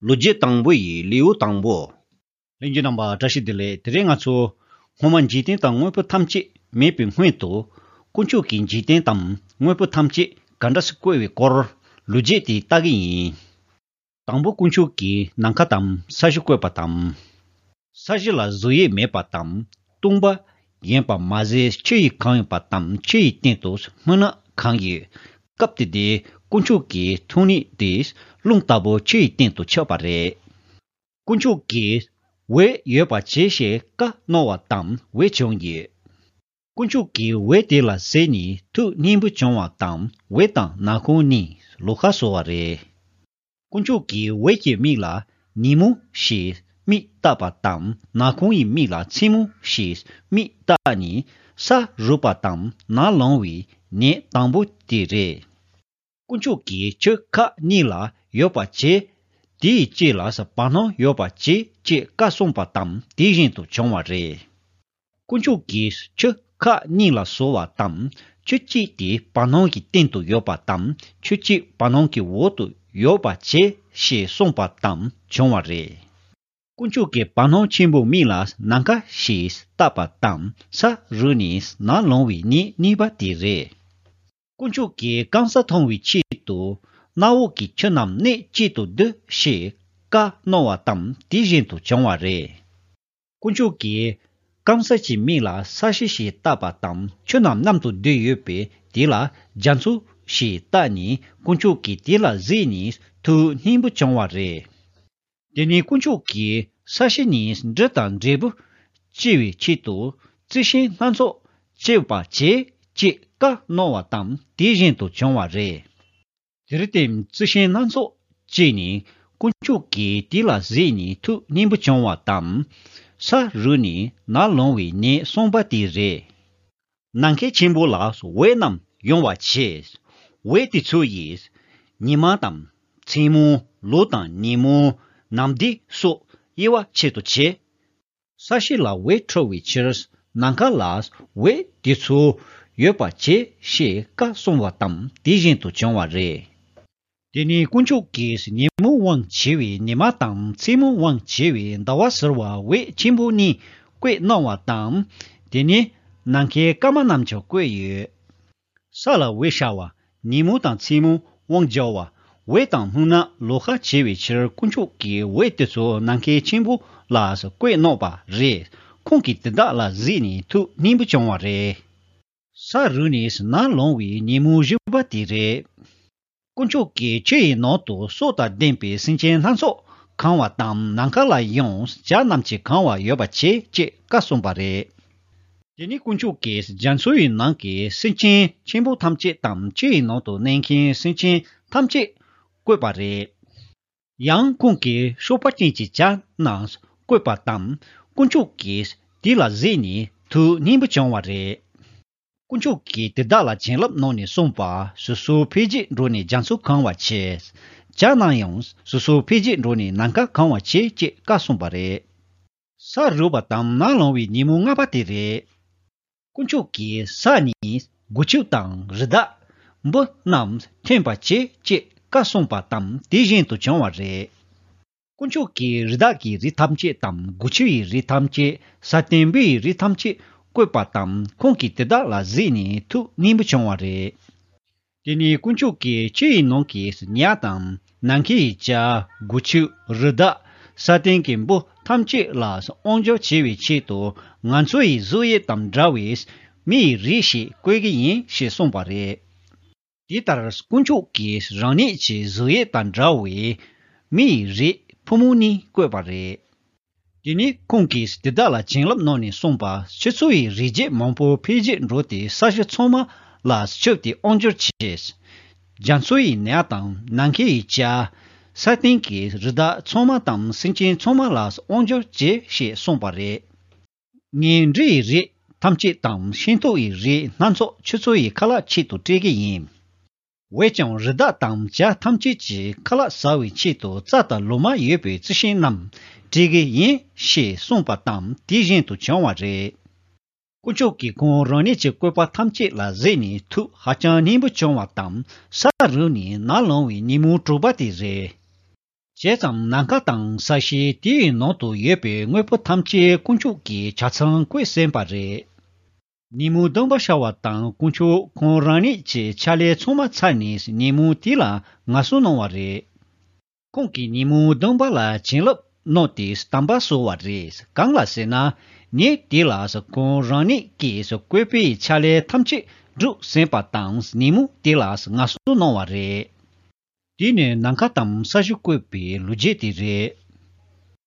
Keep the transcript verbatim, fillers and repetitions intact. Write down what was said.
ལོ་རྒྱུས་དང་པོ་ཡི་ལེའུ་དང་པོ། ལྷན་རྒྱས་རྣམ་པ་བཀྲ་ཤིས་བདེ་ལེགས། དེ་རིང་ང་ཚོ་སྔོན་མ་འཇིག་རྟེན་དང་དངོས་པོ་ཐམས་ཅད་མེད་པའི་སྔོན་དུ། དཀོན་མཆོག་གིས་འཇིག་རྟེན་དང་དངོས་པོ་ཐམས་ཅད་ག་འདྲ་སེ་བཀོད་པའི་སྐོར་ལོ་རྒྱུས་དེ་ལྟ་གི་ཡིན། དང་པོ་དཀོན་མཆོག་གིས་ནམ་མཁའ་དང་ས་གཞི་བཀོད་པ་དང་། ས་གཞི་ལ་གཟུགས་དབྱིབས་མེད་པ་དང་སྟོང་པ་ཡིན་པ་མ་ཟད། ཆུ་ཡིས་གང་ཡོད་པ་དང་ཆུ་ཡི་སྟེང་དུ་སྨུག་ནག་གང་ཡོད། སྐབས་དེ་དུས་དཀོན་མཆོག་གི་ཐུགས་ཉིད་དེ་རླུང་ལྟ་བུ་ཆུ་ཡི་སྟེང་དུ་ཆགས་པ་རེད། དཀོན་མཆོག་གིས་འོད་ཡོད་པར་བྱེད་ཞེས་བཀའ་གནང་བ་དང་འོད་བྱུང་ཡོད། དཀོན་མཆོག་གིས་འོད་དེ་ལ་གཟིགས་ནས་ཐུགས་མཉེས་པོ་བྱུང་བ་དང་འོད་དང་ནག་ཁུང་གཉིས་ལོགས་ཀ་བཟོ་བ་རེད། དཀོན་མཆོག་གིས་འོད་ཀྱི་མིང་ལ་ཉིན་མོ་ཞེས་མིང་བཏགས་པ་དང་ནག་ཁུང་ཡི་མིང་ལ་མཚན་མོ་ཞེས་མིང་བཏགས་ནས་ས་རུབ་པ་དང་ནམ་ལངས་པའི་ཉིན་དང་པོ་དེ་རེད། དཀོན་མཆོག་གིས་ཆུ་ཁག་གཉིས་ལ་ཡོད་པར་བྱེད། དེའི་དཀྱིལ་ལ་བར་སྣང་ཡོད་པར་བྱེད་ཅེས་བཀའ་གསུངས་པ་དང་དེ་བཞིན་དུ་བྱུང་བ་རེད། དཀོན་མཆོག་གིས་ཆུ་ཁག་གཉིས་ལ་བཟོ་བ་དང་ཆུ་གཅིག་དེ་བར་སྣང་གི་སྟེང་དུ་ཡོད་པ་དང་ཆུ་གཅིག་བར་སྣང་གི་འོག་ཏུ་ཡོད་པར་བྱེད་ཞེས་གསུངས་པ་དང་བྱུང་བ་རེད། དཀོན་མཆོག་གིས་བར་སྣང་ཆེན་པོའི་མིང་ལ་ནམ་མཁའ་ཞེས་བཏགས་པ་དང་ས་རུབ་ནས་ནམ་ལངས་པའི་ཉིན་གཉིས་པ་དེ་རེད། དཀོན་མཆོག་གིས་སྐམ་ས་མཐོང་བའི་ཆེད་དུ་གནམ་འོག་གི་ཆུ་རྣམས་གནས་གཅིག་ཏུ་བསྡུ་ཞེས་བཀའ་གནང་བ་དང་དེ་བཞིན་དུ་བྱུང་བ་རེད། དཀོན་མཆོག་གིས་སྐམ་ས་ཀྱི་མིང་ལ་ས་གཞི་ཞེས་བཏགས་པ་དང་ཆུ་རྣམས་མཉམ་དུ་བསྡུས་ཡོད་པས་དེ་ལ་རྒྱ་མཚོ་ཞེས་བཏགས་ནས་དཀོན་མཆོག་གིས་དེ་ལ་གཟིགས་ནས་ཐུགས་མཉེས་པོ་བྱུང་བ་རེད། དེ་ནས་དཀོན་མཆོག་གིས་ས་གཞི་ནས་འབྲུ་དང་འབྲས་བུ་སྐྱེ་བའི་ཆེད་དུ་རྩི་ཤིང་སྣ་ཚོགས་སྐྱེ་བར་བྱེད་ཅེས་བཀའ་གནང་བ་དང་དེ་བཞིན་དུ་བྱུང་བ་རེད། དེར་བརྟེན་རྩི་ཤིང་སྣ་ཚོགས་སྐྱེས་ནས་དཀོན་མཆོག་གིས་དེ་ལ་གཟིགས་ནས་ཐུགས་མཉེས་པོ་བྱུང་བ་དང་། ས་རུབ་ནས་ནམ་ལངས་པའི་ཉིན་གསུམ་པ་དེ་རེད། ནམ་མཁའི་ཆེན་པོ་ལ་འོད་རྣམས་ཡོང་བར་བྱས། འོད་དེ་ཚོ་ཡིས་ཉི་མ་དང་མཚན་མོ། ལོ་དང་ཉིན་མོ། ནམ་ཟླ་སོགས་དབྱེ་བ་ཕྱེད་དུ་བྱས། ས་གཞི་ལ་འོད་འཕྲོ་བའི་ཕྱིར་ནམ་མཁའ་ལ་འོད་དེ་ཚོ་ཡོད་པར་བྱེད་ཞེས་བཀའ་གསུངས་པ་དང་དེ་བཞིན་དུ་བྱུང་བ་རེད། དེ་ནས་དཀོན་མཆོག་གིས་ཉིན་མོའི་དབང་བྱེད་པའི་ཉི་མ་དང་མཚན་མོའི་དབང་བྱེད་པའི་ཟླ་བ་ཟེར་བ་འོད་ཆེན་པོ་གཉིས་བཀོད་གནང་བ་དང་། དེ་ནས་ནམ་མཁའི་སྐར་མ་རྣམས་ཀྱང་བཀོད་ཡོད། ས་ལ་འོད་ཤར་བ། ཉིན་མོ་དང་མཚན་མོ་དབང་བྱ་བ། འོད་དང་སྨུག་ནག་ལོགས་ཀ་བྱེད་པའི་ཕྱིར་དཀོན་མཆོག་གིས་འོད་དེ་ཚོ་ནམ་མཁའི་ཆེན་པོ་ལ་བཀོད་གནང་བ་རེད། ཁོང་གིས་དེ་དག་ལ་གཟིགས་ནས་ཐུགས་མཉེས་པོ་བྱུང་བ་རེད། ས་རུབ་ནས་ནམ་ལངས་པའི་ཉིན་མོ་བཞི་པ་དེ་རེད། དཀོན་མཆོག་གིས་ཆུ་ཡི་ནང་དུ་སྲོག་དང་ལྡན་པའི་སེམས་ཅན་སྣ་ཚོགས་གང་བ་དང་ནམ་མཁའ་ལ་ཡང་བྱ་རྣམས་ཀྱིས་གང་བ་ཡོད་པར་བྱེད་ཅེས་བཀའ་གསུངས་པ་རེད། དེ་ནས་དཀོན་མཆོག་གིས་རྒྱ་མཚོ་ཡི་ནང་གི་སེམས་ཅན་ཆེན་པོ་ཐམས་ཅད་དང་ཆུ་ཡི་ནང་དུ་གནས་མཁན་སེམས་ཅན་ཐམས་ཅད་བཀོད་པ་རེད། ཡང་ཁོང་གིས་གཤོག་པ་ཅན་གྱི་བྱ་རྣམས་བཀོད་པ་དང་དཀོན་མཆོག་གིས་དེ་ལ་གཟིགས་ནས་ཐུགས་མཉེས་པོ་བྱུང་བ་རེད། དཀོན་མཆོག་གིས་དེ་དག་ལ་བྱིན་རླབས་གནང་ནས་གསུངས་པ། སོ་སོ་འཕེལ་རྒྱས་འགྲོ་ནས་རྒྱ་མཚོ་གང་བར་བྱེད། བྱ་རྣམས་ཡང་སོ་སོ་འཕེལ་རྒྱས་འགྲོ་ནས་ནམ་མཁའ་གང་བར་བྱེད་ཅེས་བཀའ་གསུངས་པ་རེད། ས་རུབ་པ་དང་ནམ་ལངས་པའི་ཉིན་མོ་ལྔ་པ་དེ་རེད། དཀོན་མཆོག་གིས་ས་ནས་སྒོ་ཕྱུགས་དང་རི་དྭགས། འབུ་རྣམས་ཐོན་པར་བྱེད་ཅེས་བཀའ་གསུངས་པ་དང་དེ་བཞིན་དུ་བྱུང་བ་རེད། དཀོན་མཆོག་གིས་རི་དྭགས་ཀྱི་རིགས་ཐམས་ཅད་དང་སྒོ་ཕྱུགས་ཡི་རིགས་ཐམས་ཅད། ས་སྟེང་འབུ་ཡི་རིགས་ཐམས་ཅད་བཀོད་པ་དང་ཁོང་གིས་དེ་དག་ལ་གཟིགས་ནས་ཐུགས་མཉེས་པོ་བྱུང་བ་རེད། དེ་ནས་དཀོན་མཆོག་གིས་ཆུ་ཡི་ནང་གི་ཉ་དང་ནམ་མཁའི་བྱ། སྒོ་ཕྱུགས། རི་དྭགས། ས་སྟེང་གི་འབུ་ཐམས་ཅད་ལ་དབང་སྒྱུར་བྱེད་པའི་ཆེད་དུ་ང་ཚོ་ཡི་གཟུགས་དབྱིབས་དང་འདྲ་བའི་མི་ཡི་རིགས་ཤིག་བཀོད་ཀྱི་ཡིན་ཞེས་གསུངས་པ་རེད། དེ་ལྟར་དཀོན་མཆོག་གིས་རང་ཉིད་ཀྱི་གཟུགས་དབྱིབས་དང་འདྲ་བའི་མི་ཡི་རིགས་ཕོ་མོ་གཉིས་བཀོད་པ་རེད། དེ་ནས་ཁོང་གིས་དེ་དག་ལ་བྱིན་རླབས་གནང་ནས་གསུངས་པ། ཁྱེད་ཚོ་ཡི་རིགས་རྒྱུད་མང་པོ་འཕེལ་རྒྱས་འགྲོ་སྟེ་ས་གཞི་ཚང་མ་ལ་ཁྱབ་སྟེ་དབང་སྒྱུར་བྱེད། རྒྱ་མཚོ་ཡི་ཉ་དང་ནམ་མཁའི་བྱ། ས་སྟེང་གི་རི་དྭགས་ཚང་མ་དང་སེམས་ཅན་ཚང་མ་ལ་དབང་སྒྱུར་བྱེད་ཞེས་གསུངས་པ་རེད། ངས་འབྲུ་ཡི་རིགས་ཐམས་ཅད་དང་ཤིང་ཏོག་ཡི་རིགས་སྣ་ཚོགས་ཁྱེད་ཚོ་ཡི་ཁ་ལག་ཆེད་དུ་སྤྲད་ཀྱི་ཡིན། འོན་ཀྱང་རི་དྭགས་དང་བྱ་ཐམས་ཅད་ཀྱི་ཁ་ལག་ཟ་བའི་ཆེད་དུ་རྩྭ་དང་ལོ་མ་ཡོད་པའི་རྩི་ཤིང་རྣམས་སྤྲད་ཀྱི་ཡིན་ཞེས་གསུངས་པ་དང་དེ་བཞིན་དུ་བྱུང་བ་རེད། དཀོན་མཆོག་གིས་ཁོང་རང་ཉིད་ཀྱི་བཀོད་པ་ཐམས་ཅད་ལ་གཟིགས་ནས་ཐུགས་ཧ་ཅང་མཉེས་པོ་བྱུང་བ་དང་ས་རུབ་ནས་ནམ་ལངས་པའི་ཉིན་མོ་དྲུག་པ་དེ་རེད། བྱས་ཙང་ནམ་མཁའ་དང་ས་གཞི་དེའི་ནང་དུ་ཡོད་པའི་དངོས་པོ་ཐམས་ཅད་དཀོན་མཆོག་གིས་ཆ་ཚང་བཀོད་ཟིན་པ་རེད། ཉིན་མོའི་སྡོམ་པ་བྱ་བ་དང་དཀོན་མཆོག་ཁོང་རང་ཉིད་ཀྱི་ཕྱག་ལས་ཚང་མ་ཚར་ནས་ཉིན་མོ་དེ་ལ་ངལ་གསོ་གནང་བ་རེད། ཁོང་གིས་ཉིན་མོའི་སྡོམ་པ་ལ་བྱིན་རླབས་གནང་སྟེ་དམ་པ་བཟོ་བ་རེད། གང་ལ་ཟེར་ན། ཉིན་དེ་ལ་ཁོང་རང་ཉིད་ཀྱིས་བཀོད་པའི་ཕྱག་ལས་ཐམས་ཅད་བསྒྲུབས་ཟིན་པ་དང་ཉིན་མོ་དེ་ལ་ངལ་གསོ་གནང་བ་རེད། དེ་ནི་ནམ་མཁའ་དང་ས་གཞི་བཀོད་པའི་ལོ་རྒྱུས་དེ་རེད།